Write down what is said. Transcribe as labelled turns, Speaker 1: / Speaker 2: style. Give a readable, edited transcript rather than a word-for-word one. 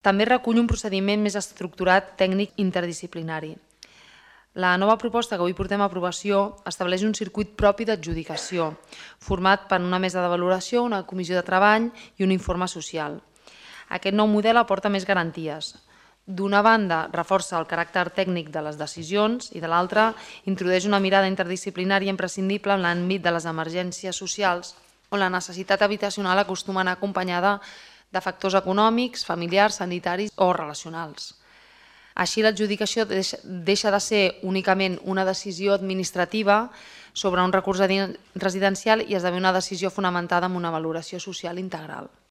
Speaker 1: També recull un procediment més estructurat tècnic interdisciplinari. La nova proposta que avui portem a aprovació estableix un circuit propi d'adjudicació, format per una mesa de valoració, una comissió de treball i un informe social. Aquest nou model aporta més garanties. D'una banda, reforça el caràcter tècnic de les decisions i de l'altra, introdueix una mirada interdisciplinària imprescindible en l'àmbit de les emergències socials, on la necessitat habitacional acostuma a anar acompanyada de factors econòmics, familiars, sanitaris o relacionals. Així, l'adjudicació deixa de ser únicament una decisió administrativa sobre un recurs residencial i esdevé una decisió fonamentada en una valoració social integral.